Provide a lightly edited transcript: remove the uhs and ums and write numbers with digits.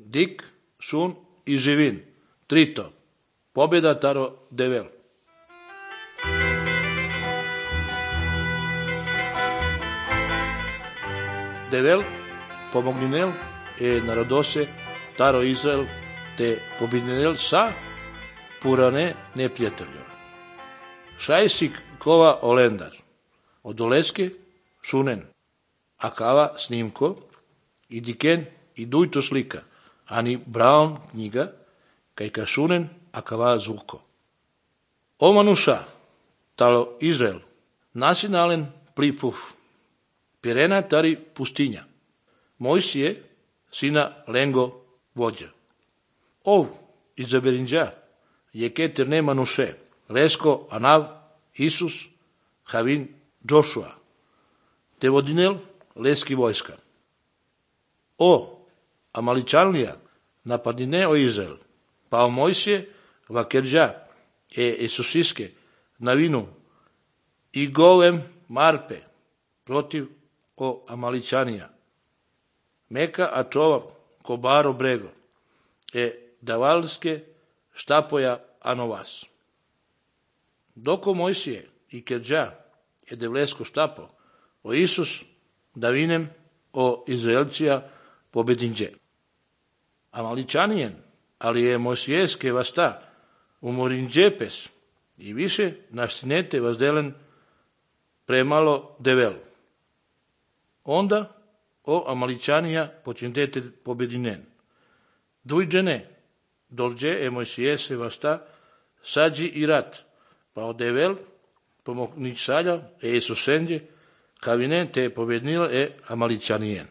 Dik, Sun i Živin. Trito. Pobjeda taro Devel. Devel pomogninel narodose taro Izrael te pobjedninel sa purane neprijatelja. Šajsik kova olendar. Od oleske Sunen. Akava snimko i diken i dujto slika. Ani Brown knjiga kaj ka Sunen akava zvuko. O manuša talo Izrael nasinalen plipuf. Pirena tari pustinja. Mojsije sina lengo vođa. Ov izaberinđa je keter ne manuše. Lesko Anav Isus Havin Joshua. Te vodinel leski vojska. O Amaličanlija napadine o Izrael. Pa o Mojsije vakerđa Isusiske na vinu i golem Marpe protiv o Amaličanija. Meka a čova kobaro brego davalske štapoja anovas. Doko Mojsije i kerđa devlesko štapo o Isus da vinem o Izraelcija pobedinđe. Amaličanijen, ali je Mojsijeske vasta umorinđepes i više naštinete vazdelen premalo Devel. Onda o Amaličanija počindete pobedinen. Dujđene dolđe Mojsijese vasta sađi i rat, pa o Devel pomogničalja Isusenđe kavine te pobednila Amaličanijen.